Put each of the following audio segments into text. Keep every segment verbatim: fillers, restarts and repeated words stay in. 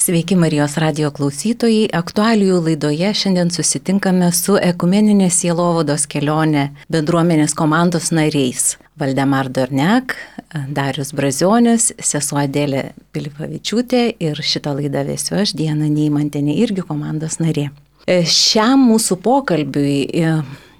Sveiki Marijos radijo klausytojai, aktualijų laidoje šiandien susitinkame su ekumeninės sielovados kelionė bendruomenės komandos nariais. Valdemar Dorniak, Darius Brazionis, sesuo Adelė Pilipavičiūtė ir šitą laidą vesiu aš, Diana Neimantienė, irgi komandos narė. Šiam mūsų pokalbiui,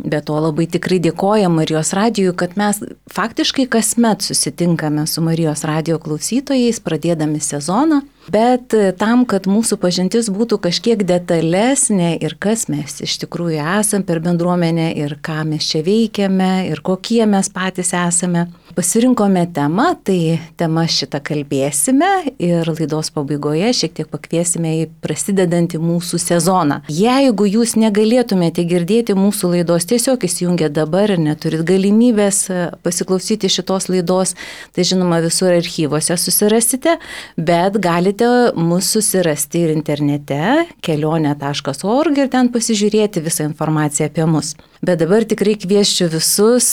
be to labai tikrai dėkojam Marijos radijui, kad mes faktiškai kasmet susitinkame su Marijos radijo klausytojais, pradėdami sezoną, bet tam, kad mūsų pažintis būtų kažkiek detalesnė ir kas mes iš tikrųjų esam per bendruomenę ir ką mes čia veikiame ir kokie mes patys esame, pasirinkome temą, tai tema šitą kalbėsime ir laidos pabaigoje šiek tiek pakviesime į prasidedantį mūsų sezoną. Jeigu jūs negalėtumėte girdėti mūsų laidos, tiesiog įsijungę dabar ir neturit galimybės pasiklausyti šitos laidos, tai žinoma visur archyvose susirasite, bet galite mus susirasti ir internete kelionė taškas org ir ten pasižiūrėti visą informaciją apie mus. Bet dabar tikrai kviesčiau visus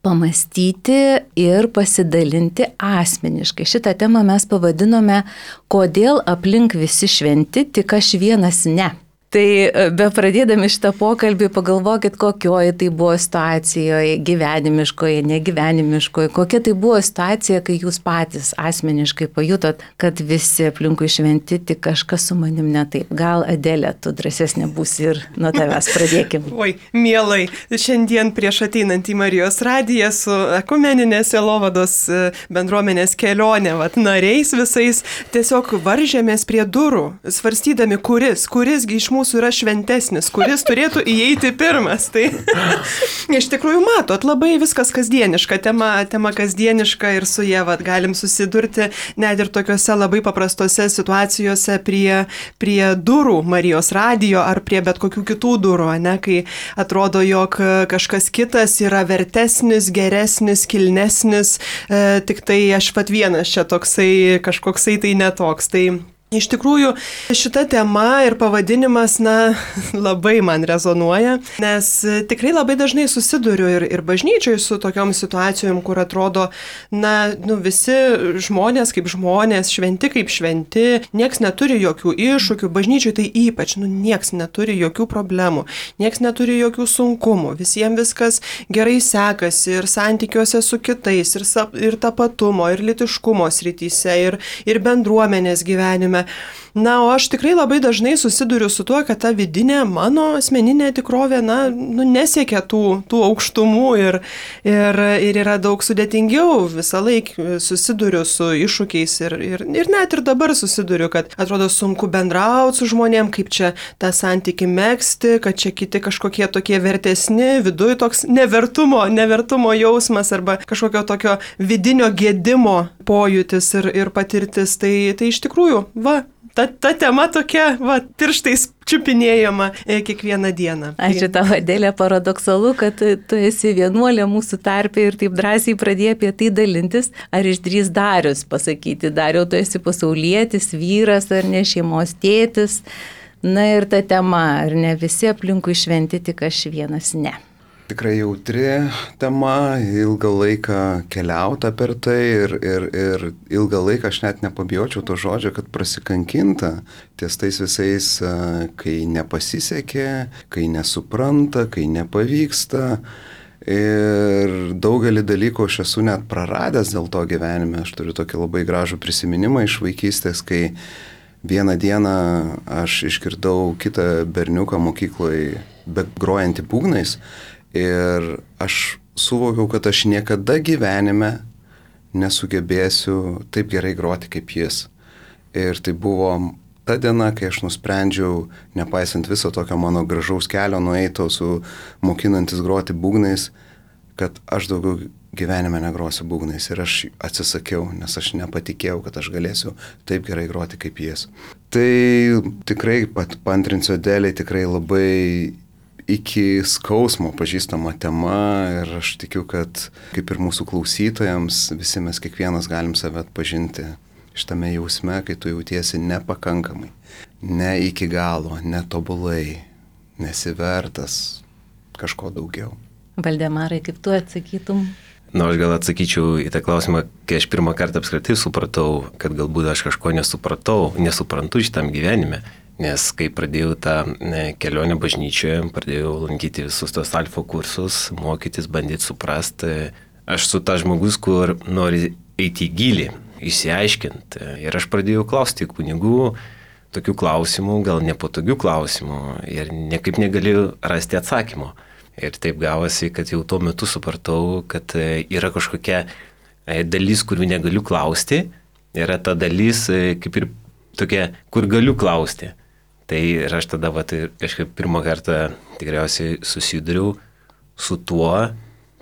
pamastyti ir pasidalinti asmeniškai. Šitą temą mes pavadinome "Kodėl aplink visi šventi, tik aš vienas ne". Tai be pradėdami šitą pokalbį pagalvokit, kokioje tai buvo situacijoje, gyvenimiškoje, negyvenimiškoje, kokia tai buvo situacija, kai jūs patys asmeniškai pajutot, kad visi aplinkui šventi, tik kažkas su manim ne taip. Gal Adelė, tu drąsesnė būsi ir nuo tavęs pradėkim. Oi, mielai, šiandien prieš ateinant į Marijos radiją su ekumeninės sielovados bendruomenės kelionė, vat, nariais visais, tiesiog varžėmės prie durų, svarstydami, kuris, kuris iš mūsų yra šventesnis, kuris turėtų įeiti pirmas. Tai iš tikrųjų matot, labai viskas kasdieniška, tema, tema kasdieniška ir su jie vat, galim susidurti net ir tokiuose labai paprastose situacijose prie, prie durų Marijos radijo ar prie bet kokių kitų durų, ne, kai atrodo, jog kažkas kitas yra vertesnis, geresnis, kilnesnis, e, tik tai aš pat vienas čia toksai, kažkoksai tai netoks. Tai iš tikrųjų, šita tema ir pavadinimas, na, labai man rezonuoja, nes tikrai labai dažnai susiduriu ir, ir bažnyčioj su tokiom situacijom, kur atrodo, na, nu, visi žmonės kaip žmonės, šventi kaip šventi, nieks neturi jokių iššūkių, bažnyčioj tai ypač, nu, nieks neturi jokių problemų, nieks neturi jokių sunkumų, visiems viskas gerai sekasi ir santykiuose su kitais, ir, ir tapatumo, ir lytiškumo srityse, ir, ir bendruomenės gyvenime. Na, o aš tikrai labai dažnai susiduriu su tuo, kad ta vidinė mano asmeninė tikrovė, na, nu, nesiekia tų, tų aukštumų ir, ir, ir yra daug sudėtingiau. Visą laiką susiduriu su iššūkiais ir, ir, ir net ir dabar susiduriu, kad atrodo sunku bendrauti su žmonėm, kaip čia tą santykį megzti, kad čia kiti kažkokie tokie vertesni, viduj toks nevertumo, nevertumo jausmas arba kažkokio tokio vidinio gėdimo pojūtis ir, ir patirtis. Tai, tai iš tikrųjų, va, ta, ta tema tokia, va, tirštais čiupinėjama e, kiekvieną dieną. Ačiū tau, Adelė, paradoksalu, kad tu esi vienuolė mūsų tarpe ir taip drąsiai pradėjai apie tai dalintis. Ar išdrįs Darius pasakyti? Dariau, tu esi pasaulietis, vyras ar ne, šeimos tėtis. Na ir ta tema, ar ne visi aplinkui šventi, tik aš vienas ne. Tikrai jautri tema, ilgą laiką keliauta per tai ir, ir, ir ilgą laiką aš net nepabijočiau to žodžio, kad prasikankinta ties tais visais, kai nepasisekė, kai nesupranta, kai nepavyksta. Ir daugelį dalykų aš esu net praradęs dėl to gyvenime. Aš turiu tokį labai gražų prisiminimą iš vaikystės, kai vieną dieną aš išgirdau kitą berniuką mokykloje grojantį būgnais. Ir aš suvokiau, kad aš niekada gyvenime nesugebėsiu taip gerai groti kaip jis. Ir tai buvo ta diena, kai aš nusprendžiau, nepaisant viso tokio mano gražaus kelio nueito su mokinantis groti būgnais, kad aš daugiau gyvenime negrosiu būgnais. Ir aš atsisakiau, nes aš nepatikėjau, kad aš galėsiu taip gerai groti kaip jis. Tai tikrai pat paantrinsiu Adelei, tikrai labai iki skausmo pažįstama tema ir aš tikiu, kad kaip ir mūsų klausytojams, visi mes kiekvienas galim save atpažinti šitame jausme, kai tu jautiesi nepakankamai, ne iki galo, netobulai, nesivertas kažko daugiau. Valdemarai, kaip tu atsakytum? Na, aš gal atsakyčiau į tą klausimą, kai aš pirmą kartą apskritai supratau, kad galbūt aš kažko nesupratau, nesuprantu šitam gyvenime. Nes kai pradėjau tą kelionę bažnyčioje, pradėjau lankyti visus tos alfa kursus, mokytis, bandyti suprasti, aš su ta žmogus, kur nori eiti į gilį, išsiaiškinti. Ir aš pradėjau klausti kunigų tokių klausimų, gal nepatogių klausimų ir niekaip negalėjau rasti atsakymo. Ir taip gavosi, kad jau tuo metu supratau, kad yra kažkokia dalis, kurių negaliu klausti, yra ta dalis kaip ir tokia, kur galiu klausti. Tai ir aš tada va, tai kažkaip pirmą kartą tikriausiai susiduriau su tuo,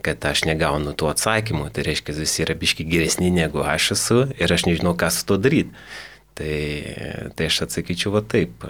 kad aš negaunu tų atsakymų. Tai reiškia, visi yra biški geresni negu aš esu ir aš nežinau, ką su to daryti. Tai, tai aš atsakyčiau va taip.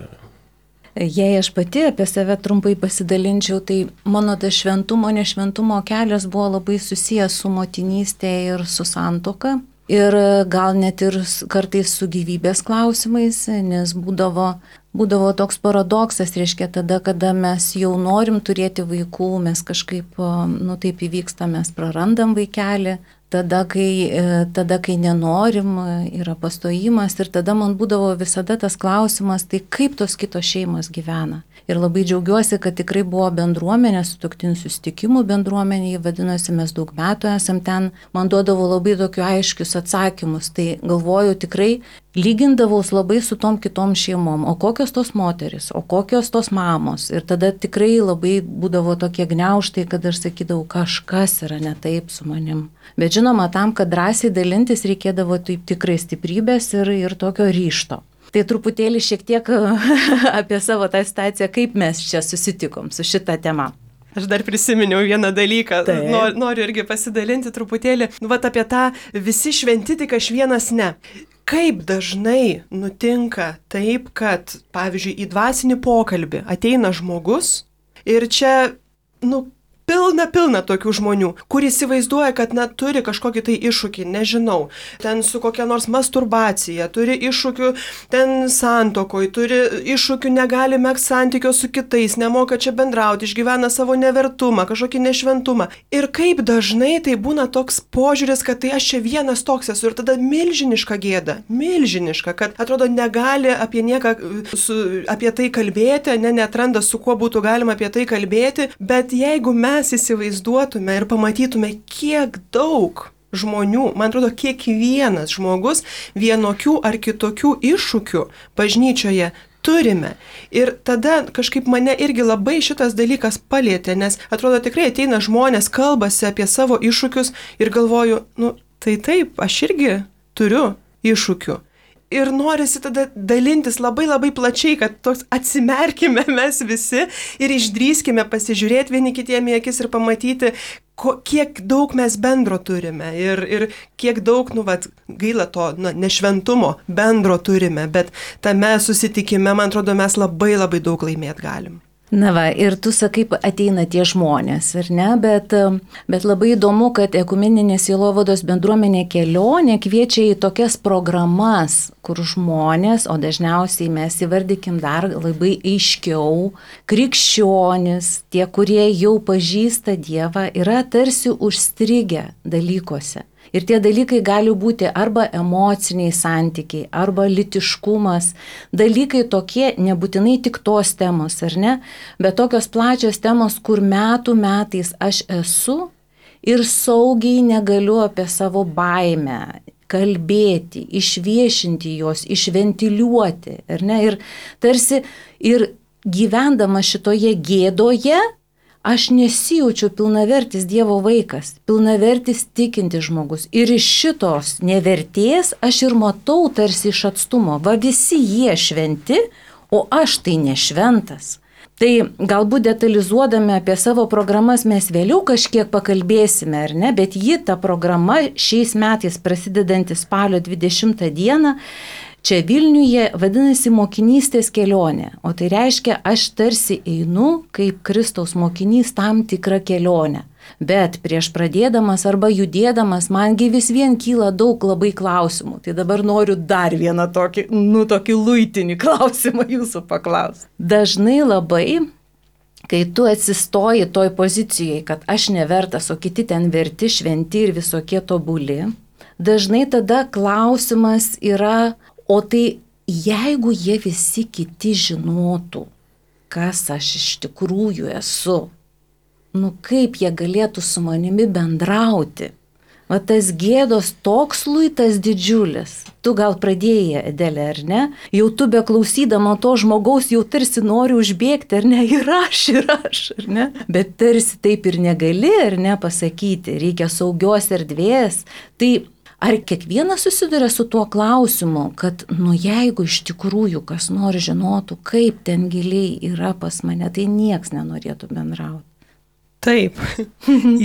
Jei aš pati apie save trumpai pasidalinčiau, tai mano tas šventumo, nešventumo kelias buvo labai susijęs su motinystė ir su santuoka. Ir gal net ir kartais su gyvybės klausimais, nes būdavo, būdavo toks paradoksas, reiškia tada, kada mes jau norim turėti vaikų, mes kažkaip, nu taip įvyksta, mes prarandam vaikelį, tada kai, tada, kai nenorim, yra pastojimas ir tada man būdavo visada tas klausimas, tai kaip tos kitos šeimos gyvena. Ir labai džiaugiuosi, kad tikrai buvo bendruomenė, sutuoktinių susitikimų bendruomenė, vadinosi, mes daug metų esam ten, man duodavo labai tokių aiškius atsakymus, tai galvoju tikrai lygindavaus labai su tom kitom šeimom, o kokios tos moteris, o kokios tos mamos. Ir tada tikrai labai būdavo tokie gniaužtai, kad aš sakydavau, kažkas yra ne taip su manim. Bet žinoma, tam, kad drąsiai dalintis, reikėdavo taip tikrai stiprybės ir, ir tokio ryšto. Tai truputėlį šiek tiek apie savo tą situaciją, kaip mes čia susitikom su šita tema. Aš dar prisiminiau vieną dalyką, nor, noriu irgi pasidalinti truputėlį, nu, vat apie tą visi šventi, tik aš vienas ne. Kaip dažnai nutinka taip, kad, pavyzdžiui, į dvasinį pokalbį ateina žmogus ir čia, nu, pilna, pilna tokių žmonių, kur įsivaizduoja, kad net turi kažkokį tai iššūkį, nežinau, ten su kokia nors masturbacija, turi iššūkių ten santokoj, turi iššūkių, negali megzti santykio su kitais, nemoka čia bendrauti, išgyvena savo nevertumą, kažkokį nešventumą. Ir kaip dažnai tai būna toks požiūris, kad tai aš čia vienas toks esu ir tada milžiniška gėda, milžiniška, kad atrodo negali apie nieką, su, apie tai kalbėti, ne, neatranda su kuo būtų galima apie tai kalbėti, bet jeigu mes mes įsivaizduotume ir pamatytume, kiek daug žmonių, man atrodo, kiekvienas žmogus vienokių ar kitokių iššūkių bažnyčioje turime. Ir tada kažkaip mane irgi labai šitas dalykas palietė, nes atrodo tikrai ateina žmonės, kalbasi apie savo iššūkius ir galvoju, nu tai taip, aš irgi turiu iššūkių. Ir norisi tada dalintis labai labai plačiai, kad toks atsimerkime mes visi ir išdrįskime pasižiūrėti vieni kitiem į akis ir pamatyti, ko, kiek daug mes bendro turime ir, ir kiek daug, nu, vat, gaila to nu, nešventumo bendro turime, bet tame susitikime, man atrodo, mes labai labai daug laimėt galim. Na va, ir tu sakai, ateina tie žmonės, ar ne, bet, bet labai įdomu, kad ekumeninė sielovados bendruomenė kelionė kviečia į tokias programas, kur žmonės, o dažniausiai mes įvardykim dar labai aiškiau, krikščionis, tie, kurie jau pažįsta Dievą, yra tarsi užstrigę dalykuose. Ir tie dalykai gali būti arba emociniai santykiai, arba lytiškumas, dalykai tokie, nebūtinai tik tos temos, ar ne, bet tokios plačios temos, kur metų metais aš esu ir saugiai negaliu apie savo baimę kalbėti, išviešinti jos, išventiliuoti, ar ne, ir tarsi ir gyvendama šitoje gėdoje, aš nesijaučiu pilnavertis Dievo vaikas, pilnavertis tikintis žmogus. Ir iš šitos nevertės aš ir matau tarsi iš atstumo. Va visi jie šventi, o aš tai nešventas. Tai galbūt detalizuodami apie savo programas mes vėliau kažkiek pakalbėsime, ar ne, bet ji, ta programa, šiais metais prasidedanti spalio dvidešimtą dieną, čia Vilniuje vadinasi mokinystės kelionė, o tai reiškia, aš tarsi einu kaip Kristaus mokinys tam tikrą kelionę. Bet prieš pradėdamas arba judėdamas, mangi vis vien kyla daug labai klausimų. Tai dabar noriu dar vieną tokį, nu, tokį luitinį klausimą jūsų paklausti. Dažnai labai kai tu atsistoji toj pozicijai, kad aš nevertas, o kiti ten verti, šventi ir visokie tobuli, dažnai tada klausimas yra, o tai jeigu jie visi kiti žinotų, kas aš iš tikrųjų esu, nu kaip jie galėtų su manimi bendrauti? Va tas gėdos toks luitas didžiulis. Tu gal pradėjai, Adelė, ar ne? Jau tu beklausydama to žmogaus jau tarsi nori užbėgti, ar ne? Ir aš, ir aš, ar ne? Bet tarsi taip ir negali, ar ne, pasakyti. Reikia saugios erdvės. Tai ar kiekvienas susiduria su tuo klausimu, kad, nu jeigu iš tikrųjų kas nori žinotų, kaip ten giliai yra pas mane, tai nieks nenorėtų bendrauti. Taip,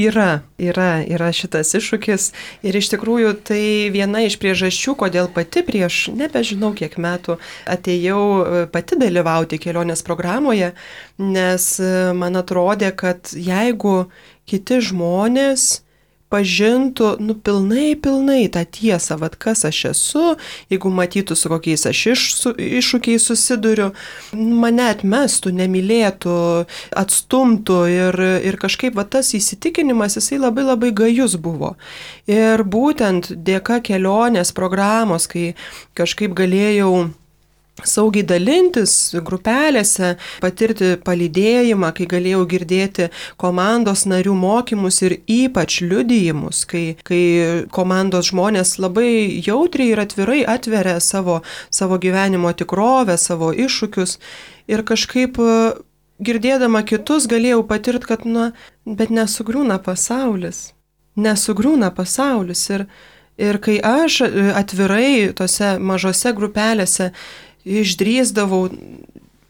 yra, yra, yra šitas iššūkis ir iš tikrųjų tai viena iš priežasčių, kodėl pati prieš nebežinau kiek metų atėjau pati dalyvauti kelionės programoje, nes man atrodė, kad jeigu kiti žmonės pažintų, nu, pilnai, pilnai tą tiesą, vad kas aš esu, jeigu matytų, su kokiais aš iš, su, iššūkiais susiduriu, mane atmestų, nemylėtų, atstumtų ir, ir kažkaip va, tas įsitikinimas, jisai labai labai gajus buvo. Ir būtent dėka kelionės programos, kai kažkaip galėjau saugiai dalintis grupelėse, patirti palydėjimą, kai galėjau girdėti komandos narių mokymus ir ypač liudijimus, kai, kai komandos žmonės labai jautriai ir atvirai atveria savo, savo gyvenimo tikrovę, savo iššūkius ir kažkaip girdėdama kitus galėjau patirti, kad, na, bet nesugriūna pasaulis, nesugriūna pasaulis ir, ir kai aš atvirai tose mažose grupelėse išdrįsdavau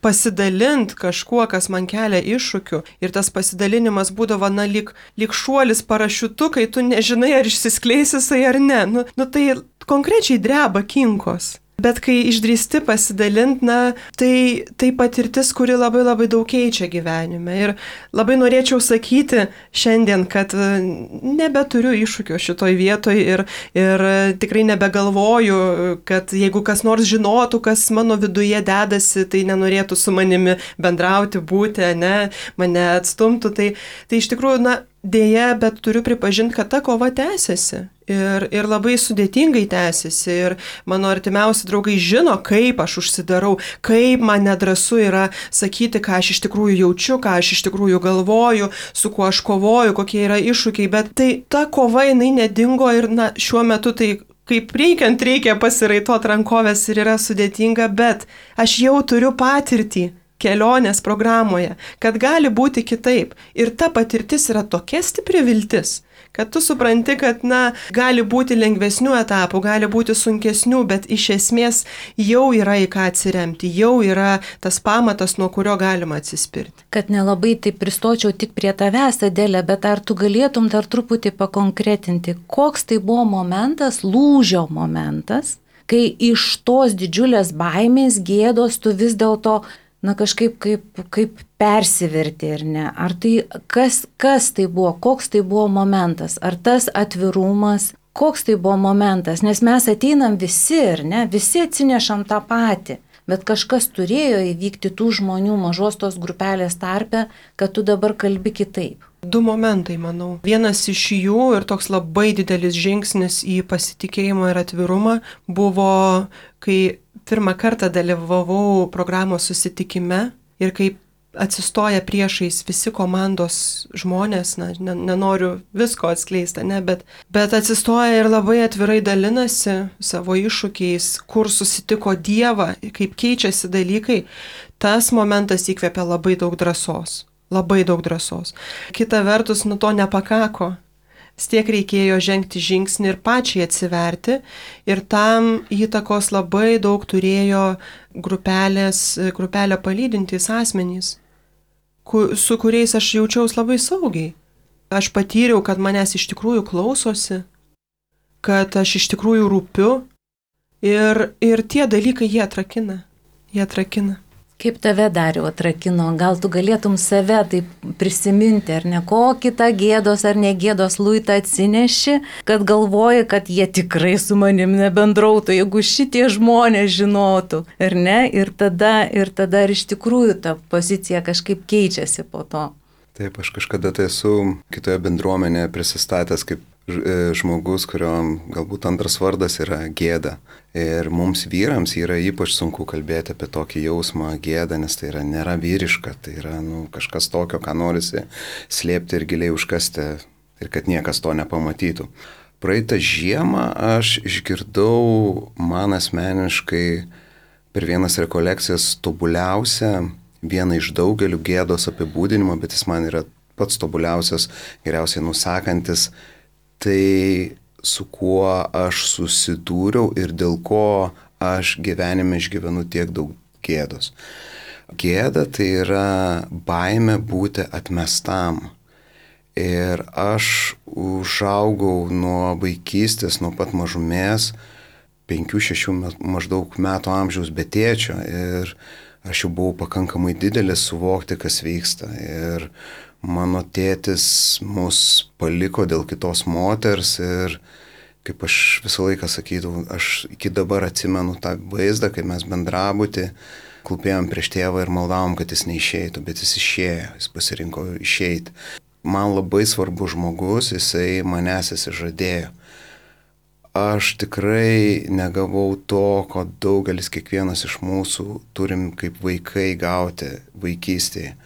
pasidalint kažkuo, kas man kelia iššūkių. Ir tas pasidalinimas būdavo, na, lyg, lyg šuolis parašiutu, kai tu nežinai, ar išsiskleis jisai ar ne. Nu, nu tai konkrečiai dreba kinkos. Bet kai išdrįsti pasidalint, na, tai, tai patirtis, kuri labai labai daug keičia gyvenime. Ir labai norėčiau sakyti šiandien, kad nebeturiu iššūkio šitoj vietoj ir, ir tikrai nebegalvoju, kad jeigu kas nors žinotų, kas mano viduje dedasi, tai nenorėtų su manimi bendrauti, būti, ne, mane atstumtų. Tai, tai iš tikrųjų, na, dėja, bet turiu pripažinti, kad ta kova tęsiasi. Ir, ir labai sudėtingai tęsiasi. Ir mano artimiausi draugai žino, kaip aš užsidarau, kaip man nedrąsu yra sakyti, ką aš iš tikrųjų jaučiu, ką aš iš tikrųjų galvoju, su kuo aš kovoju, kokie yra iššūkiai. Bet tai ta kova, jinai nedingo ir, na, šiuo metu tai kaip reikiant reikia pasiraitot rankovės ir yra sudėtinga, bet aš jau turiu patirtį kelionės programoje, kad gali būti kitaip. Ir ta patirtis yra tokia stipri viltis, kad tu supranti, kad, na, gali būti lengvesnių etapų, gali būti sunkesnių, bet iš esmės jau yra į ką atsiremti, jau yra tas pamatas, nuo kurio galima atsispirti. Kad nelabai taip pristočiau tik prie tavęs, Adelė, bet ar tu galėtum dar truputį pakonkretinti, koks tai buvo momentas, lūžio momentas, kai iš tos didžiulės baimės, gėdos tu vis dėlto na kažkaip kaip, kaip persiverti, ar ne? Ar tai, kas, kas tai buvo, koks tai buvo momentas, ar tas atvirumas, koks tai buvo momentas, nes mes ateinam visi, ar ne, visi atsinešam tą patį, bet kažkas turėjo įvykti tų žmonių mažos tos grupelės tarpe, kad tu dabar kalbi kitaip. Du momentai, manau. Vienas iš jų ir toks labai didelis žingsnis į pasitikėjimą ir atvirumą buvo, kai pirmą kartą dalyvavau programos susitikime ir kai atsistoja priešais visi komandos žmonės, na, nenoriu visko atskleisti, ne, bet, bet atsistoja ir labai atvirai dalinasi savo iššūkiais, kur susitiko Dievą, kaip keičiasi dalykai, tas momentas įkvėpia labai daug drąsos. Labai daug drąsos. Kita vertus, nu to nepakako. Stiek reikėjo žengti žingsnį ir pačiai atsiverti ir tam įtakos labai daug turėjo grupelės, grupelę palydintys asmenys, su kuriais aš jaučiaus labai saugiai. Aš patyriau, kad manęs iš tikrųjų klausosi, kad aš iš tikrųjų rūpiu ir, ir tie dalykai jie atrakina. Jie atrakina. Kaip tave Dariau atrakino, gal tu galėtum save taip prisiminti, ar ne, kokį tą gėdos ar negėdos luitą atsineši, kad galvoji, kad jie tikrai su manim nebendrautų, jeigu šitie žmonės žinotų, ar ne, ir tada, ir tada ir iš tikrųjų ta pozicija kažkaip keičiasi po to. Taip, aš kažkada tai esu kitoje bendruomenėje prisistatęs kaip žmogus, kurio galbūt antras vardas yra gėda. Ir mums vyrams yra ypač sunku kalbėti apie tokį jausmą gėdą, nes tai yra nėra vyriška, tai yra nu, kažkas tokio, ką norisi slėpti ir giliai užkasti ir kad niekas to nepamatytų. Praeitą žiemą aš išgirdau man asmeniškai per vienas rekolekcijas tobuliausią, vieną iš daugelių gėdos apibūdinimo, bet jis man yra pats tobuliausias, geriausiai nusakantis. Tai su kuo aš susidūriau ir dėl ko aš gyvenime išgyvenu tiek daug gėdos. Gėda tai yra baimė būti atmestam. Ir aš užaugau nuo vaikystės, nuo pat mažumės, penkių šešių maždaug metų amžiaus be tėčio. Ir aš jau buvau pakankamai didelis suvokti, kas vyksta. Ir mano tėtis mus paliko dėl kitos moters ir, kaip aš visą laiką sakydavau, aš iki dabar atsimenu tą vaizdą, kai mes bendrabutį klūpėjom prieš tėvą ir maldavom, kad jis neišeitų, bet jis išėjo, jis pasirinko išeiti. Man labai svarbus žmogus, jisai manęs įsižadėjo. Aš tikrai negavau to, ko daugelis kiekvienas iš mūsų turim kaip vaikai gauti vaikystėje.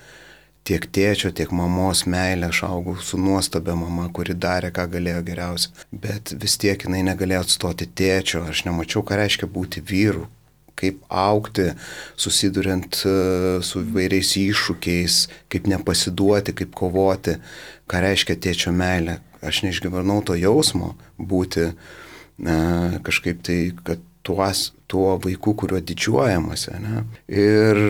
Tiek tėčio, tiek mamos meilę, aš augau su nuostabia mama, kuri darė, ką galėjo geriausia. Bet vis tiek jinai negalėjo atstoti tėčio, aš nemačiau, ką reiškia būti vyru, kaip augti, susiduriant su įvairiais iššūkiais, kaip nepasiduoti, kaip kovoti, ką reiškia tėčio meilė. Aš neišgyvenau to jausmo būti ne, kažkaip tai, kad tuos, tuo vaiku, kuriuo didžiuojamasi. Ne? Ir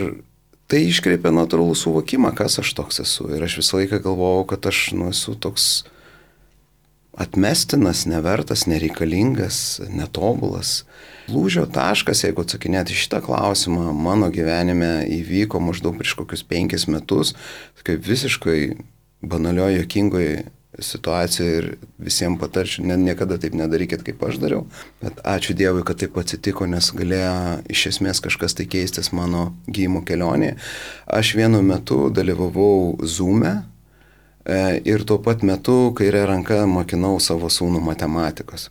tai iškreipia natūralų suvokimą, kas aš toks esu. Ir aš visą laiką galvojau, kad aš nu, esu toks atmestinas, nevertas, nereikalingas, netobulas. Lūžio taškas, jeigu atsakinėti šitą klausimą, mano gyvenime įvyko maždaug prieš kokius penkis metus, kaip visiškai banalioje, juokingoje situacijoje ir visiems patarčiau, ne, niekada taip nedarykit, kaip aš dariau. Bet ačiū Dievui, kad taip atsitiko, nes galėjo iš esmės kažkas tai keistis mano gydymo kelionėje. Aš vienu metu dalyvavau Zoom'e e, ir tuo pat metu kairę ranką mokinau savo sūnų matematikos.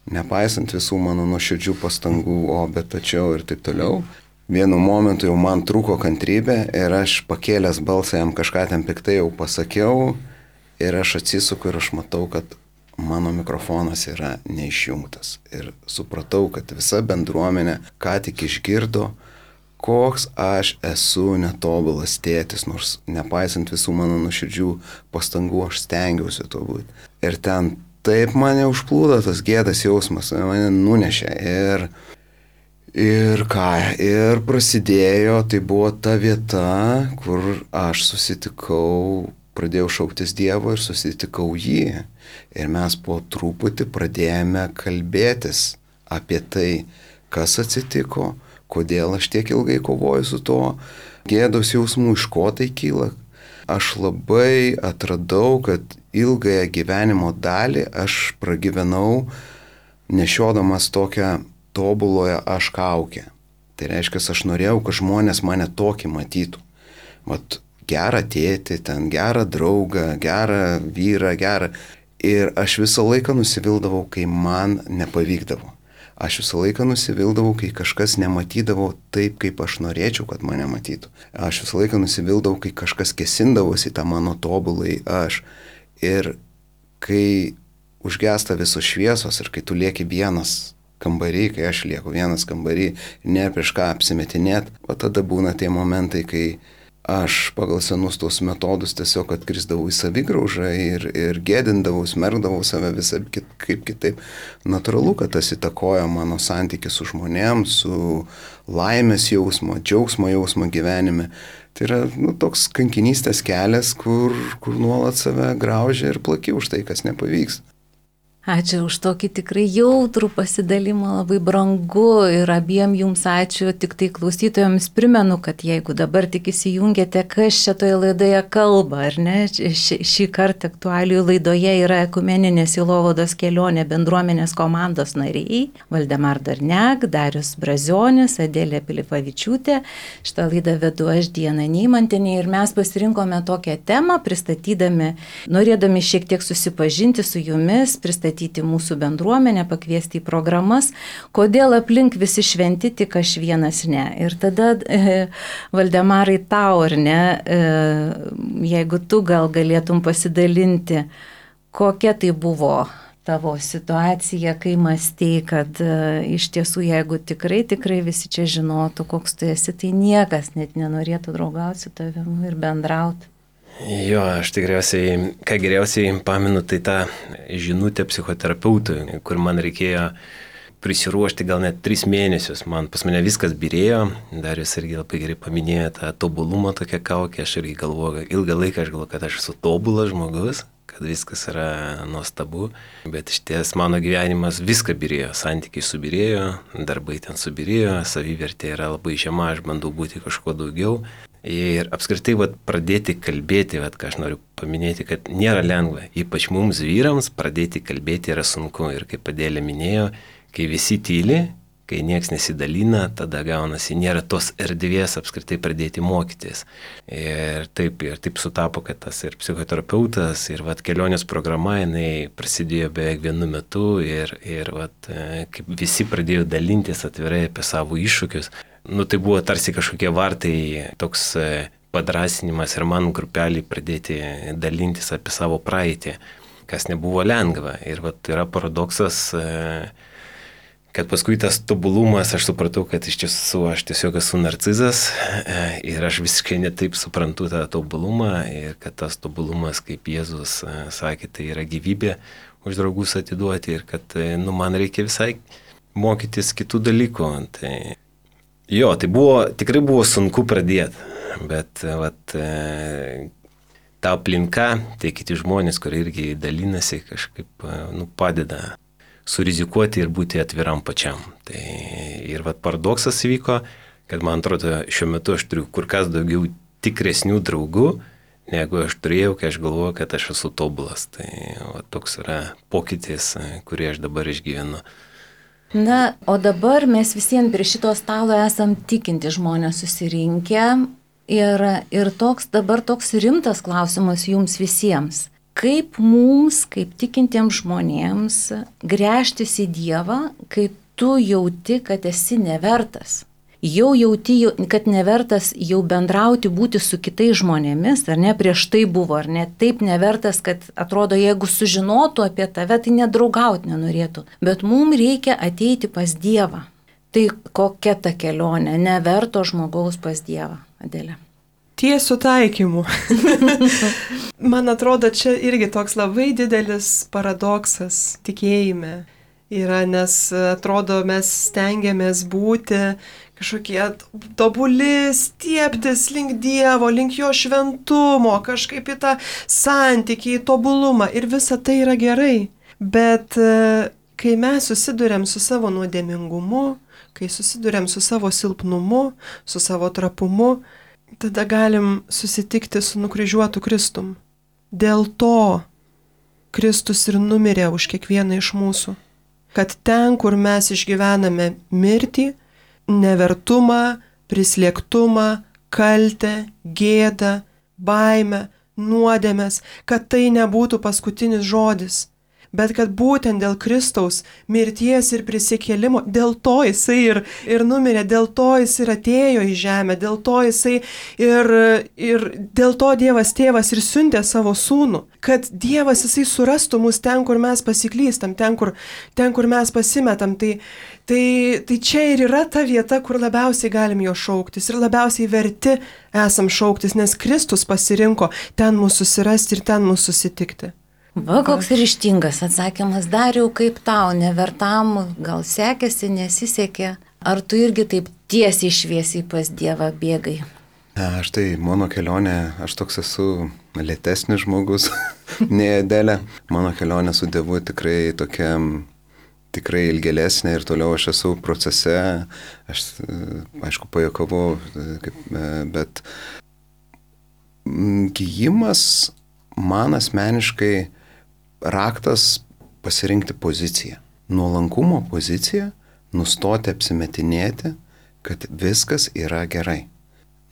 Nepaisant visų mano nuoširdžių pastangų, o bet tačiau ir taip toliau. Vienu momentu jau man trūko kantrybė ir aš pakėlęs balsą jam kažką ten piktai jau pasakiau. Ir aš atsisuku ir aš matau, kad mano mikrofonas yra neišjungtas. Ir supratau, kad visa bendruomenė ką tik išgirdo, koks aš esu netobulas tėtis, nors nepaisant visų mano nuoširdžių pastangų, aš stengiausi to būti. Ir ten taip mane užplūdo tas gėdas jausmas, mane nunešė. Ir, ir ką, ir prasidėjo, tai buvo ta vieta, kur aš susitikau, pradėjau šauktis Dievo ir susitikau jį. Ir mes po truputį pradėjome kalbėtis apie tai, kas atsitiko, kodėl aš tiek ilgai kovoju su to gėdos jausmu, iš ko tai kyla. Aš labai atradau, kad ilgąją gyvenimo dalį aš pragyvenau nešiodamas tokią tobuloje aš kaukę. Tai reiškia, aš norėjau, kad žmonės mane tokį matytų. Vat gerą tėtį, ten gerą draugą, gerą vyrą, gerą. Ir aš visą laiką nusivildavau, kai man nepavykdavo. Aš visą laiką nusivildavau, kai kažkas nematydavo taip, kaip aš norėčiau, kad mane matytų. Aš visą laiką nusivildavau, kai kažkas kesindavosi tą mano tobulai aš. Ir kai užgesta visos šviesos ir kai tu lieki vienas kambarį, kai aš lieku vienas kambarį, ne prieš ką apsimetinėt, o tada būna tie momentai, kai aš pagal senus tos metodus tiesiog atkrisdavau į savigraužą ir, ir gėdindavau, smerkdavau save visą kit, kaip kitaip. Natūralu, kad tas įtakoja mano santykį su žmonėms, su laimės jausmo, džiaugsmo jausmo gyvenime. Tai yra nu, toks kankinystės kelias, kur, kur nuolat save graužia ir plaki už tai, kas nepavyks. Ačiū už tokį tikrai jautrų pasidalimą, labai brangu ir abiem jums ačiū. Tik tai klausytojams primenu, kad jeigu dabar tik įsijungėte, kas čia toje laidoje kalba, ar ne, š, šį kartą aktualijų laidoje yra Ekumeninės sielovados kelionė bendruomenės komandos nariai Valdemar Darniak, Darius Brazionis, Adelė Pilipavičiūtė. Šitą laidą vedu aš, Diana Neimantienė, ir mes pasirinkome tokią temą, pristatydami, norėdami šiek tiek susipažinti su jumis, pristatydami mūsų bendruomenę, pakviesti į programas, kodėl aplink visi šventi, tik aš vienas ne. Ir tada, e, Valdemarai, tau ar ne, e, jeigu tu gal galėtum pasidalinti, kokia tai buvo tavo situacija, kai mąstei, kad e, iš tiesų, jeigu tikrai, tikrai visi čia žinotų, koks tu esi, tai niekas net nenorėtų draugauti su tavimi ir bendrauti. Jo, aš tikriausiai, ką geriausiai pamenu, tai tą žinutę psichoterapeutui, kur man reikėjo prisiruošti gal net tris mėnesius. Man pas mane viskas birėjo, Darius irgi labai gerai paminėjo tą tobulumą tokią kaukę, aš irgi galvoju, ilgą laiką aš galvoju, kad aš esu tobulas žmogus, kad viskas yra nuostabu, bet iš ties mano gyvenimas viską birėjo, santykiai subirėjo, darbai ten subirėjo, savivertė yra labai žema, aš bandau būti kažko daugiau. Ir apskritai vat, pradėti kalbėti, vat, ką aš noriu paminėti, kad nėra lengva, ypač mums vyrams pradėti kalbėti yra sunku. Ir kaip Adėlė minėjo, kai visi tyli, kai nieks nesidalina, tada gaunasi, nėra tos erdvės apskritai pradėti mokytis. Ir taip, ir taip sutapo, kad tas ir psichoterapeutas, ir vat, kelionės programa, jinai prasidėjo beveik vienu metu ir, ir vat, kaip visi pradėjo dalintis atvirai apie savo iššūkius. Nu, tai buvo tarsi kažkokie vartai, toks padrasinimas ir man grupelį pradėti dalintis apie savo praeitį, kas nebuvo lengva. Ir vat, yra paradoksas, kad paskui tas tobulumas, aš supratau, kad iš tiesų aš tiesiog esu narcizas ir aš visiškai netaip suprantu tą tobulumą ir kad tas tobulumas, kaip Jėzus sakė, tai yra gyvybė už draugus atiduoti ir kad nu, man reikia visai mokytis kitų dalykų. Tai jo, tai buvo, tikrai buvo sunku pradėti, bet vat, e, ta aplinka, tai kiti žmonės, kurie irgi dalinasi, kažkaip nu, padeda surizikuoti ir būti atviram pačiam. Tai, ir vat, paradoksas įvyko, kad man atrodo, šiuo metu aš turiu kur kas daugiau tikresnių draugų, negu aš turėjau, kai aš galvoju, kad aš esu tobulas. Tai vat, toks yra pokytis, kurį aš dabar išgyvenu. Na, o dabar mes visiems prie šito stalo esam tikinti žmonės susirinkę ir, ir toks dabar toks rimtas klausimas jums visiems. Kaip mums, kaip tikintiems žmonėms, gręžtis į Dievą, kai tu jauti, kad esi nevertas? Jau jauti, kad nevertas jau bendrauti, būti su kitais žmonėmis, ar ne, prieš tai buvo, ar ne, taip nevertas, kad atrodo, jeigu sužinotų apie tave, tai nedraugauti nenorėtų. Bet mums reikia ateiti pas Dievą. Tai kokia ta kelionė, neverto žmogaus pas Dievą, Adelė? Tiesių taikymų. Man atrodo, čia irgi toks labai didelis paradoksas tikėjime yra, nes atrodo, mes stengiamės būti kažkokie tobuli, stieptis link Dievo, link jo šventumo, kažkaip į tą santykį, į tobulumą ir visa tai yra gerai. Bet kai mes susiduriam su savo nuodėmingumu, kai susiduriam su savo silpnumu, su savo trapumu, tada galim susitikti su nukryžiuotu Kristum. Dėl to Kristus ir numirė už kiekvieną iš mūsų. Kad ten, kur mes išgyvename mirtį, nevertumą, prislėgtumą, kaltę, gėdą, baimę, nuodėmes, kad tai nebūtų paskutinis žodis, bet kad būtent dėl Kristaus mirties ir prisikėlimo, dėl to jisai ir, ir numirė, dėl to jis ir atėjo į žemę, dėl to jisai ir, ir dėl to Dievas tėvas ir siuntė savo sūnų, kad Dievas jisai surastų mus ten, kur mes pasiklystam, ten, kur, ten, kur mes pasimetam. Tai, tai, tai čia ir yra ta vieta, kur labiausiai galim jo šauktis ir labiausiai verti esam šauktis, nes Kristus pasirinko ten mūsų susirasti ir ten mūsų susitikti. Va, koks ryžtingas atsakymas, Dariau, kaip tau, nevertam, gal sekėsi, nesisekė, ar tu irgi taip tiesiai šviesiai pas Dievą bėgai? Aš tai, mano kelionė, aš toks esu lėtesnis žmogus, nei Adelė. Mano kelionė su Dievu tikrai tokia, tikrai ilgėlesnė ir toliau aš esu procese. Aš, aišku, pajuokavau, bet gijimas man asmeniškai raktas pasirinkti poziciją. Nuolankumo poziciją, nustoti apsimetinėti, kad viskas yra gerai.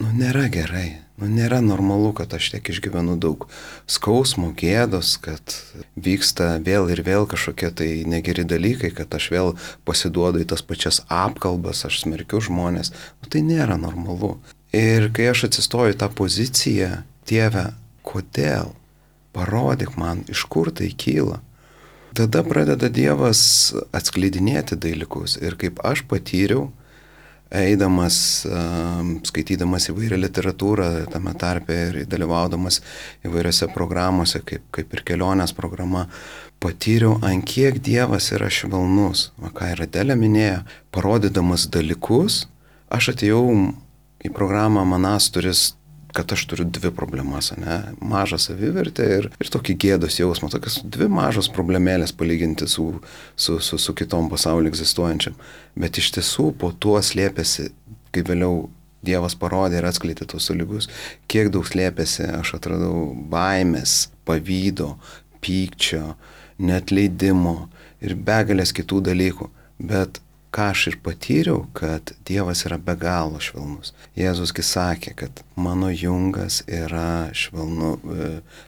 Nu, nėra gerai. Nu, nėra normalu, kad aš tiek išgyvenu daug skausmo, gėdos, kad vyksta vėl ir vėl kažkokie tai negeri dalykai, kad aš vėl pasiduodu į tas pačias apkalbas, aš smerkiu žmonės. Nu, tai nėra normalu. Ir kai aš atsistoju į tą poziciją, Dieve, kodėl? Parodyk man, iš kur tai kyla. Tada pradeda Dievas atskleidinėti dalykus. Ir kaip aš patyriau, eidamas, skaitydamas įvairią literatūrą tame tarpe ir dalyvaudamas įvairiose programuose, kaip, kaip ir kelionės programa, patyriau, ant kiek Dievas yra švelnus. Va, ką ir Adelė minėjo, parodydamas dalykus, aš atėjau į programą Manas turis, kad aš turiu dvi problemas, ne? Mažą savivertę ir, ir tokį gėdos jausmą, tokias dvi mažos problemėlės palyginti su, su, su, su kitom pasaulyje egzistuojančiam. Bet iš tiesų po tuo slėpėsi, kai vėliau Dievas parodė ir atskleidė tos dalykus, kiek daug slėpėsi, aš atradau baimės, pavydo, pykčio, neatleidimo ir begalės kitų dalykų. Bet ką aš ir patyriau, kad Dievas yra be galo švelnus. Jėzusgi sakė, kad mano jungas yra švelnu,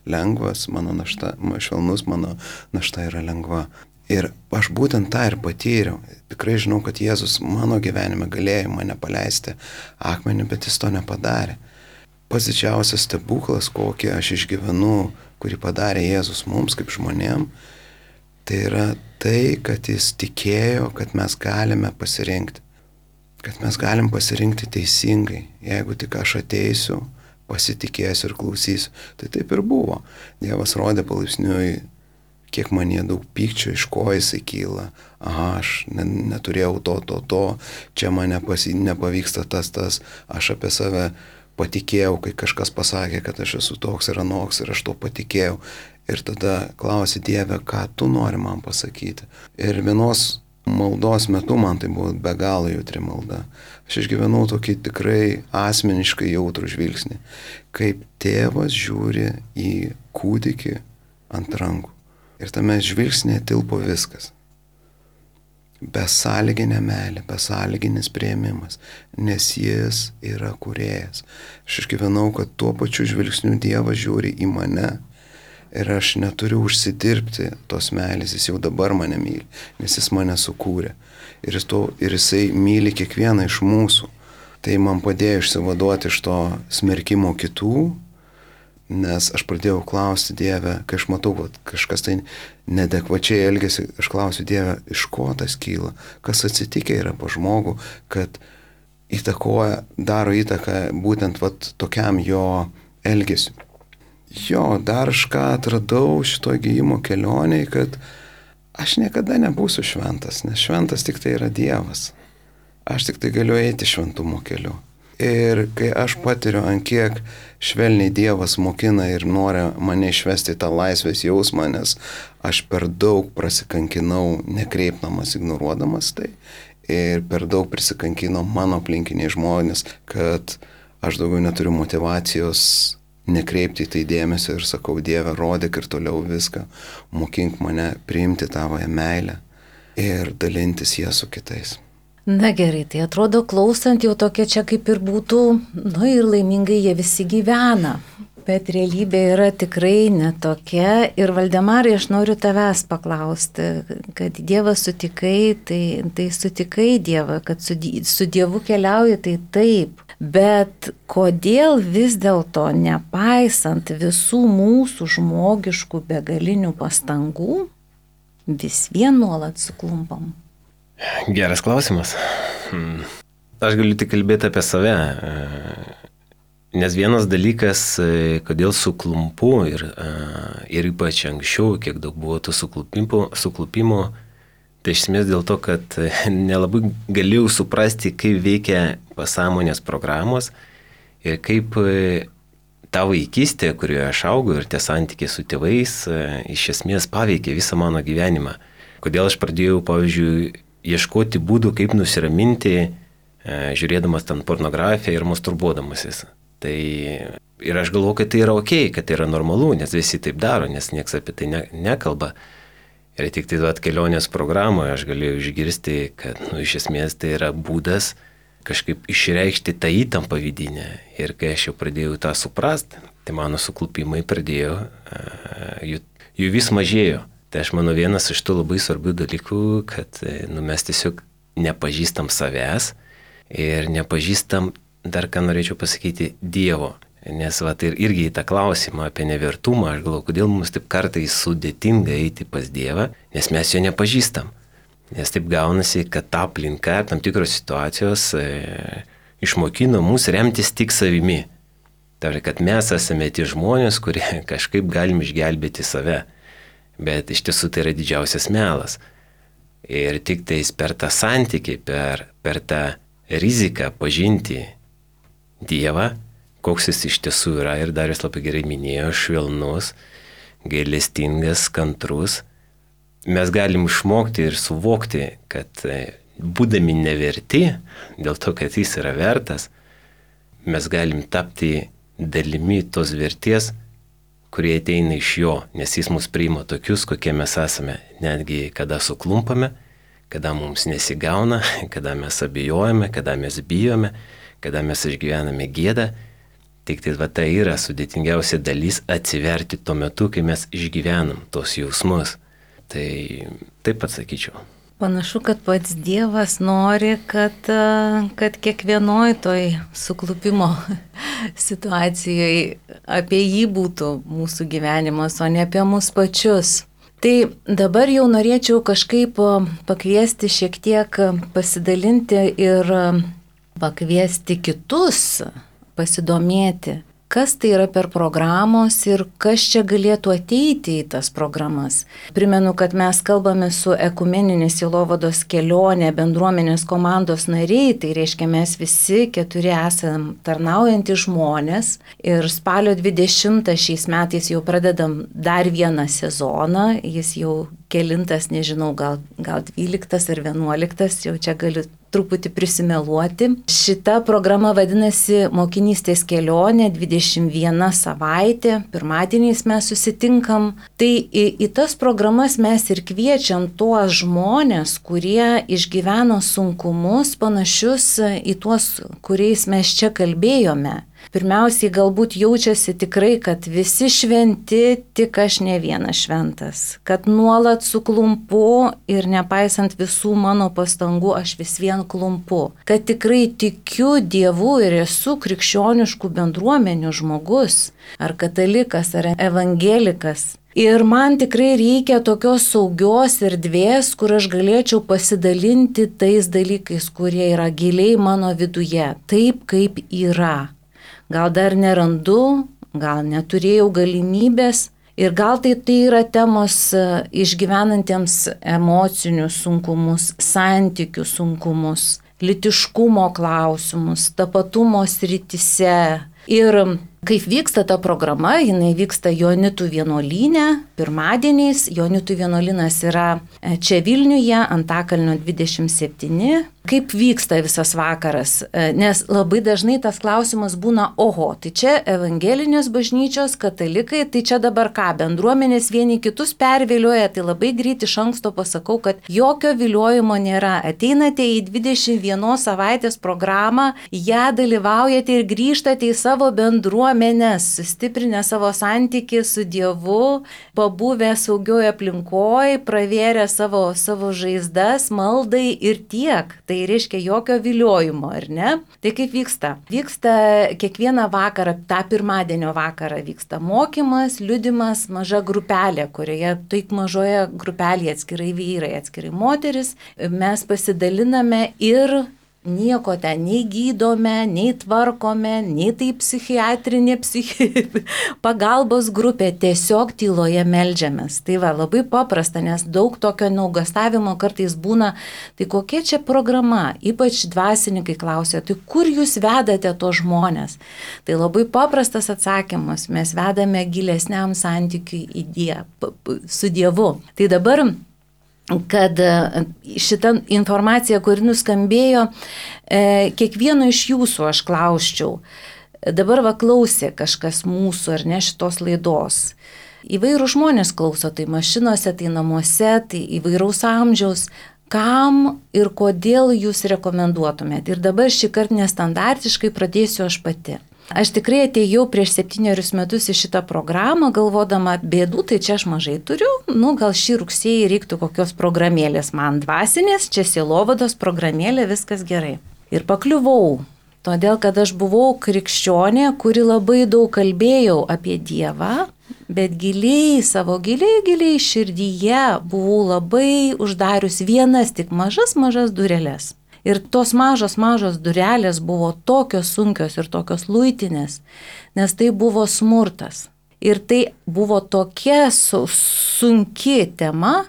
lengvas, mano našta, švelnus, mano našta yra lengva. Ir aš būtent tą ir patyriau. Tikrai žinau, kad Jėzus mano gyvenime galėjo mane paleisti akmenį, bet jis to nepadarė. Pats didžiausias stebuklas, kokį aš išgyvenu, kurį padarė Jėzus mums kaip žmonėm, tai yra tai, kad jis tikėjo, kad mes galime pasirinkti. Kad mes galim pasirinkti teisingai. Jeigu tik aš ateisiu, pasitikėsiu ir klausysiu. Tai taip ir buvo. Dievas rodė palaipsniui, kiek manie daug pykčio, iš ko jisai kyla. Aha, aš neturėjau to, to, to, čia man nepasi, nepavyksta tas, tas. Aš apie save patikėjau, kai kažkas pasakė, kad aš esu toks ir anoks ir aš to patikėjau. Ir tada klausi, Dieve, ką tu nori man pasakyti. Ir vienos maldos metu man tai buvo be galo jautri malda. Aš išgyvenau tokį tikrai asmeniškai jautrų žvilgsnį, kaip tėvas žiūri į kūdikį ant rankų. Ir tame žvilgsnėje tilpo viskas. Besąlyginė meilė, besąlyginis priėmimas, nes jis yra kūrėjas. Aš išgyvenau, kad tuo pačiu žvilgsniu Dievas žiūri į mane. Ir aš neturiu užsidirbti tos meilės, jis jau dabar mane myli, nes jis mane sukūrė. Ir, jis to, ir jisai myli kiekvieną iš mūsų. Tai man padėjo išsivaduoti iš to smerkimo kitų, nes aš pradėjau klausti Dievę, kai aš matau, kad kažkas tai nedekvačiai elgesi, aš klausiu Dievę, iš ko tas kyla, kas atsitikę yra po žmogų, kad įtakoja, daro įtaką būtent vat, tokiam jo elgesiu. Jo, dar aš ką atradau šito gijimo kelionėje, kad aš niekada nebūsiu šventas, nes šventas tik tai yra Dievas. Aš tik tai galiu eiti šventumo keliu. Ir kai aš patiriu, ant kiek švelniai Dievas mokina ir nori mane išvesti tą laisvės jausmą, nes aš per daug prasikankinau, nekreipdamas, ignoruodamas tai, ir per daug prisikankino mano aplinkiniai žmonės, kad aš daugiau neturiu motyvacijos nekreipti į tai dėmesio ir sakau, Dieve, rodyk ir toliau viską, mokink mane priimti tavoje meilę ir dalintis ją su kitais. Na gerai, tai atrodo klausant jau tokia čia kaip ir būtų, nu ir laimingai jie visi gyvena, bet realybė yra tikrai netokia. Ir Valdemarai, aš noriu tavęs paklausti, kad Dievą sutikai, tai, tai sutikai Dievą, kad su, su Dievu keliauji, tai taip. Bet kodėl vis dėlto, nepaisant visų mūsų žmogiškų begalinių pastangų, vis vien nuolat suklumpam? Geras klausimas. Aš galiu tik kalbėti apie save. Nes vienas dalykas, kodėl suklumpu ir, ir ypač anksčiau, kiek daug buvo to suklupimo, suklupimo, tai iš esmės dėl to, kad nelabai galėjau suprasti, kaip veikia pasąmonės programos ir kaip ta vaikystė, kurioje aš augau ir tie santykiai su tėvais iš esmės paveikė visą mano gyvenimą. Kodėl aš pradėjau, pavyzdžiui, ieškoti būdų, kaip nusiraminti, žiūrėdamas ten pornografiją ir masturbuodamasis. Tai ir aš galvoju, kad tai yra ok, kad tai yra normalu, nes visi taip daro, nes niekas apie tai ne, nekalba. Ir tik tai duot kelionės programoje aš galėjau išgirsti, kad nu, iš esmės tai yra būdas kažkaip išreikšti tą įtampą vidinę. Ir kai aš jau pradėjau tą suprasti, tai mano suklupimai pradėjo, jų, jų vis mažėjo. Tai aš manau vienas iš tų labai svarbių dalykų, kad nu, mes tiesiog nepažįstam savęs ir nepažįstam, dar ką norėčiau pasakyti, Dievo. Nes va, ir irgi į tą klausimą apie nevertumą, aš galvoju, kodėl mums taip kartais sudėtinga eiti pas Dievą, nes mes jo nepažįstam. Nes taip gaunasi, kad ta aplinka, tam tikros situacijos e, išmokino mus remtis tik savimi. Tai kad mes esame tie žmonės, kurie kažkaip galim išgelbėti save. Bet iš tiesų tai yra didžiausias melas. Ir tik tais per tą santykį, per, per tą riziką pažinti Dievą, koks jis iš tiesų yra, ir dar jis labai gerai minėjo, švelnus, gailestingas, kantrus, mes galim išmokti ir suvokti, kad būdami neverti, dėl to, kad jis yra vertas, mes galim tapti dalimi tos vertės, kurie ateina iš jo, nes jis mus priima tokius, kokie mes esame, netgi kada suklumpame, kada mums nesigauna, kada mes abejojame, kada mes bijome, kada mes išgyvename gėdą. Tik tai va tai yra sudėtingiausia dalis atsiverti tuo metu, kai mes išgyvenam tos jausmus. Tai taip atsakyčiau. Panašu, kad pats Dievas nori, kad, kad kiekvienoj toj suklupimo situacijoje apie jį būtų mūsų gyvenimas, o ne apie mus pačius. Tai dabar jau norėčiau kažkaip pakviesti šiek tiek pasidalinti ir pakviesti kitus pasidomėti, kas tai yra per programos ir kas čia galėtų ateiti į tas programas. Primenu, kad mes kalbame su ekumeninės sielovados kelionė bendruomenės komandos nariai, tai reiškia mes visi keturi esam tarnaujantys žmonės ir spalio dvidešimtą šiais metais jau pradedam dar vieną sezoną, jis jau kelintas, nežinau, gal, gal dvyliktas ar vienuoliktas, jau čia galiu truputį prisimeluoti. Šita programa vadinasi Mokinystės kelionė, dvidešimt viena savaitė, pirmadieniais mes susitinkam. Tai į, į tas programas mes ir kviečiam tuos žmonės, kurie išgyveno sunkumus panašius į tuos, kuriais mes čia kalbėjome. Pirmiausiai galbūt jaučiasi tikrai, kad visi šventi, tik aš ne vienas šventas. Kad nuolat suklumpu ir nepaisant visų mano pastangų, aš vis vien klumpu. Kad tikrai tikiu Dievu ir esu krikščioniškų bendruomenių žmogus, ar katalikas, ar evangelikas. Ir man tikrai reikia tokios saugios erdvės, kur aš galėčiau pasidalinti tais dalykais, kurie yra giliai mano viduje, taip kaip yra. Gal dar nerandu, gal neturėjau galimybės ir gal tai, tai yra temos išgyvenantiems emocinius sunkumus, santykių sunkumus, lytiškumo klausimus, tapatumo srityse. Ir kaip vyksta ta programa, jinai vyksta Joanitų vienuolyne, pirmadieniais. Joanitų vienuolynas yra čia Vilniuje, Antakalnio dvidešimt septyni. Kaip vyksta visas vakaras? Nes labai dažnai tas klausimas būna, oho, tai čia evangelinės bažnyčios, katalikai, tai čia dabar ką, bendruomenės vieni kitus pervilioja, tai labai greit iš anksto pasakau, kad jokio viliojimo nėra. Ateinate į dvidešimt vienos savaitės programą, ją dalyvaujate ir grįžtate į savo bendruomenės, sustiprinę savo santykį su Dievu, pabuvę saugioje aplinkoje, pravėrę savo, savo žaizdas, maldai ir tiek. Tai reiškia jokio viliojimo, ar ne? Tai kaip vyksta? Vyksta kiekvieną vakarą, tą pirmadienio vakarą vyksta mokymas, liudimas, maža grupelė, kurioje taip mažoje grupelėje atskirai vyrai, atskirai moteris. Mes pasidaliname ir nieko ten nei gydome, nei tvarkome, nei tai psichiatrinė psichi... pagalbos grupė, tiesiog tyloje meldžiamės. Tai va, labai paprasta, nes daug tokio nuogąstavimo kartais būna, tai kokia čia programa, ypač dvasininkai klausia, tai kur jūs vedate to žmonės? Tai labai paprastas atsakymas, mes vedame gilesniam santykiui į Dievą, su Dievu. Tai dabar kad šitą informaciją, kuri nuskambėjo, kiekvieno iš jūsų aš klausčiau. Dabar va klausė kažkas mūsų ar ne šitos laidos. Įvairių žmonės klauso, tai mašinose, tai namuose, tai įvairaus amžiaus. Kam ir kodėl jūs rekomenduotumėt? Ir dabar šį kartą nestandartiškai pradėsiu aš pati. Aš tikrai atėjau prieš septynerius metus į šitą programą, galvodama, bėdų, tai čia aš mažai turiu, nu gal šį rugsėjį reiktų kokios programėlės man dvasinės, čia sielovados programėlė, viskas gerai. Ir pakliuvau, todėl kad aš buvau krikščionė, kuri labai daug kalbėjau apie Dievą, bet giliai, savo giliai, giliai širdyje buvau labai uždarius vienas tik mažas, mažas dureles. Ir tos mažos, mažos durelės buvo tokios sunkios ir tokios luitinės, nes tai buvo smurtas. Ir tai buvo tokia su, sunki tema,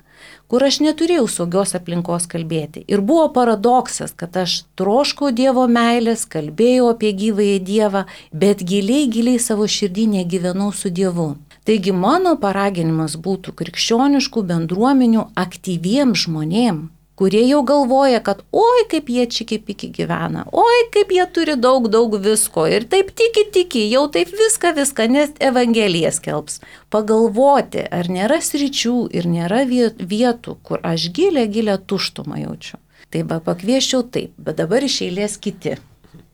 kur aš neturėjau saugios aplinkos kalbėti. Ir buvo paradoksas, kad aš troškau Dievo meilės, kalbėjau apie gyvąjį Dievą, bet giliai, giliai savo širdį negyvenau su Dievu. Taigi mano paraginimas būtų krikščioniškų bendruomenių aktyviems žmonėms, kurie jau galvoja, kad oi kaip jie čiki-piki gyvena, oi kaip jie turi daug, daug visko ir taip tiki, tiki, jau taip viską, viską, nes Evangelija skelbs. Pagalvoti, ar nėra sričių ir nėra vietų, kur aš gilę, gilę tuštumą jaučiu. Tai va pakvieščiau taip, bet dabar iš eilės kiti.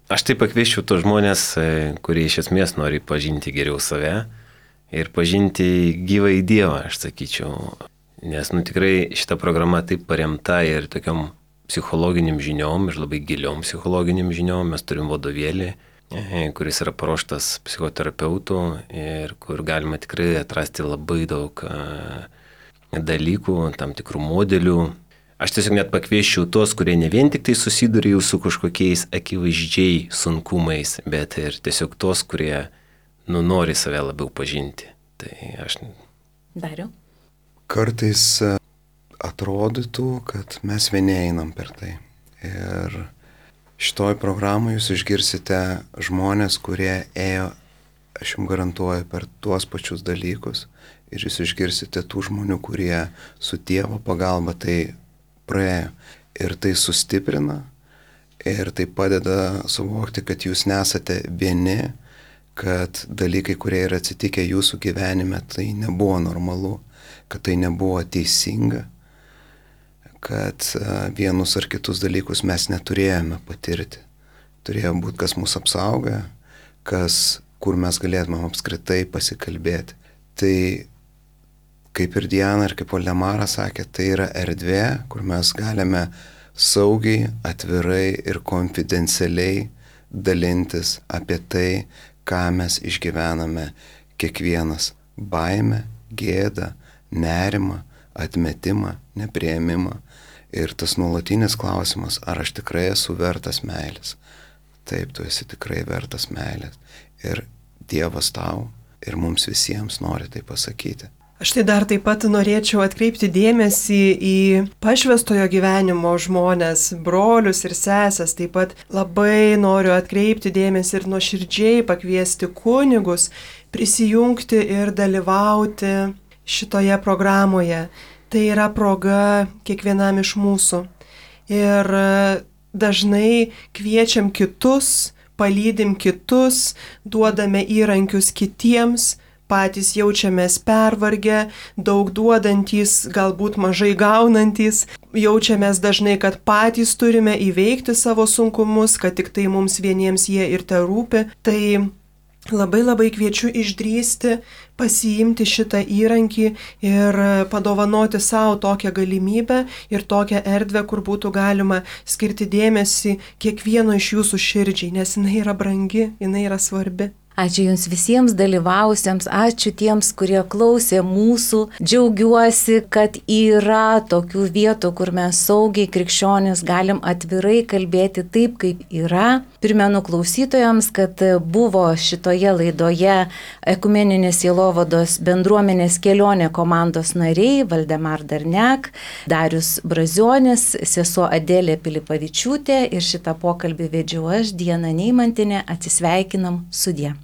Aš tai pakvieščiau tos žmonės, kurie iš esmės nori pažinti geriau save ir pažinti gyvąjį Dievą, aš sakyčiau. Nes, nu, tikrai šita programa taip paremta ir tokiom psichologiniam žiniom, ir labai giliom psichologiniam žiniom. Mes turim vadovėlį, kuris yra paruoštas psichoterapeutų ir kur galima tikrai atrasti labai daug dalykų, tam tikrų modelių. Aš tiesiog net pakvieščiau tuos, kurie ne vien tik tai susiduria jau su kažkokiais akivaizdžiai sunkumais, bet ir tiesiog tuos, kurie, nu, nori save labiau pažinti. Tai aš... Dariau? Kartais atrodytų, kad mes vieni einam per tai. Ir šitoj programai jūs išgirsite žmonės, kurie ėjo, aš jums garantuoju, per tuos pačius dalykus. Ir jūs išgirsite tų žmonių, kurie su Dievo pagalba tai praėjo. Ir tai sustiprina, ir tai padeda suvokti, kad jūs nesate vieni, kad dalykai, kurie yra atsitikę jūsų gyvenime, tai nebuvo normalu, kad tai nebuvo teisinga, kad vienus ar kitus dalykus mes neturėjome patirti. Turėjo būti, kas mus apsauga, kas, kur mes galėtume apskritai pasikalbėti. Tai kaip ir Diana ir kaip Valdemaras sakė, tai yra erdvė, kur mes galime saugiai, atvirai ir konfidencialiai dalintis apie tai, ką mes išgyvename kiekvienas. Baimę, gėdą, nerimą, atmetimą, nepriėmimą. Ir tas nuolatinis klausimas, ar aš tikrai esu vertas meilės. Taip, tu esi tikrai vertas meilės. Ir Dievas tau ir mums visiems nori tai pasakyti. Aš tai dar taip pat norėčiau atkreipti dėmesį į pašvęstojo gyvenimo žmonės, brolius ir sesės. Taip pat labai noriu atkreipti dėmesį ir nuoširdžiai pakviesti kunigus prisijungti ir dalyvauti šitoje programoje. Tai yra proga kiekvienam iš mūsų. Ir dažnai kviečiam kitus, palydim kitus, duodame įrankius kitiems, patys jaučiamės pervargę, daug duodantys, galbūt mažai gaunantys, jaučiamės dažnai, kad patys turime įveikti savo sunkumus, kad tik tai mums vieniems jie ir te rūpi. Tai labai labai kviečiu išdrįsti, pasiimti šitą įrankį ir padovanoti savo tokią galimybę ir tokią erdvę, kur būtų galima skirti dėmesį kiekvieno iš jūsų širdžiai, nes jinai yra brangi, jinai yra svarbi. Ačiū Jums visiems dalyvausiems, ačiū tiems, kurie klausė mūsų. Džiaugiuosi, kad yra tokių vietų, kur mes saugiai krikščionis galim atvirai kalbėti taip, kaip yra. Primenu klausytojams, kad buvo šitoje laidoje Ekumeninės sielovados bendruomenės kelionė komandos nariai Valdemar Darniak, Darius Brazionis, sesuo Adelė Pilipavičiūtė ir šitą pokalbį vedžiau aš, Diana Neimantinė. Atsisveikinam, sudie.